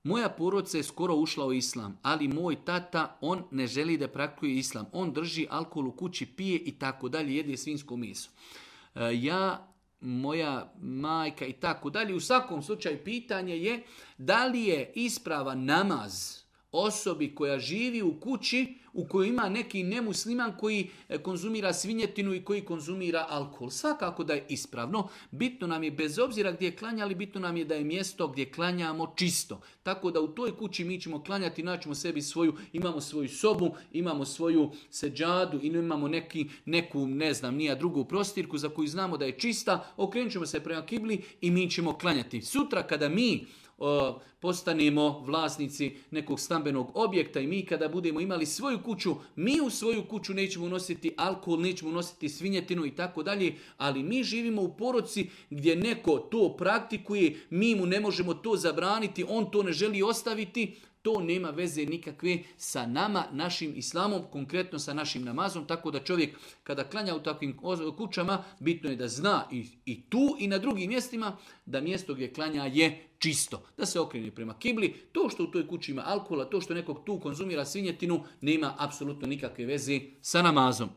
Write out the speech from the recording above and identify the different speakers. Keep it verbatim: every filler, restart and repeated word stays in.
Speaker 1: moja porodica je skoro ušla u islam, ali moj tata, on ne želi da praktikuje islam. On drži alkohol u kući, pije i tako dalje, jede svinjsko meso. Ja, moja majka i tako dalje. U svakom slučaju pitanje je da li je ispravan namaz osobi koja živi u kući u kojoj ima neki nemusliman koji konzumira svinjetinu i koji konzumira alkohol. Svakako da je ispravno. Bitno nam je, bez obzira gdje klanjali, bitno nam je da je mjesto gdje klanjamo čisto. Tako da u toj kući mi ćemo klanjati, naćemo sebi svoju, imamo svoju sobu, imamo svoju seđadu i imamo neki, neku, ne znam, nija drugu prostirku za koju znamo da je čista, okrenut ćemo se prema kibli i mi ćemo klanjati. Sutra kada mi O, postanemo vlasnici nekog stambenog objekta i mi kada budemo imali svoju kuću, mi u svoju kuću nećemo unositi alkohol, nećemo unositi svinjetinu i tako dalje, ali mi živimo u porodici gdje neko to praktikuje, mi mu ne možemo to zabraniti, on to ne želi ostaviti. To nema veze nikakve sa nama, našim islamom, konkretno sa našim namazom, tako da čovjek kada klanja u takvim kućama, bitno je da zna i, i tu i na drugim mjestima da mjesto gdje klanja je čisto. Da se okrene prema kibli. To što u toj kući ima alkohola, to što nekog tu konzumira svinjetinu, nema apsolutno nikakve veze sa namazom.